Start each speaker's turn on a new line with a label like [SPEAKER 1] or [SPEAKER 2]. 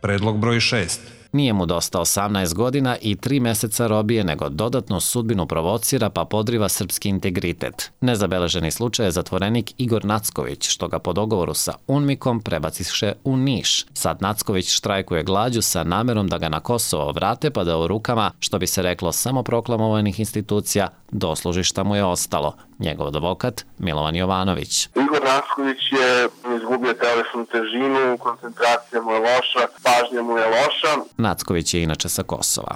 [SPEAKER 1] Predlog broj 6.
[SPEAKER 2] Nije mu dosta 18 godina i 3 meseca robije, nego dodatnu sudbinu provocira pa podriva srpski integritet. Nezabeleženi slučaj je zatvorenik Igor Nacković, što ga po dogovoru sa UNMIK-om prebaciše u Niš. Sad Nacković štrajkuje glađu sa namerom da ga na Kosovo vrate, pa da u rukama, što bi se reklo samoproklamovanih institucija, dosluži šta mu je ostalo. Njegov advokat Milovan Jovanović.
[SPEAKER 3] Igor Nacković je izgubio telesnu težinu, koncentracija mu je loša, pažnja mu je loša.
[SPEAKER 2] Nacković je inače sa Kosova.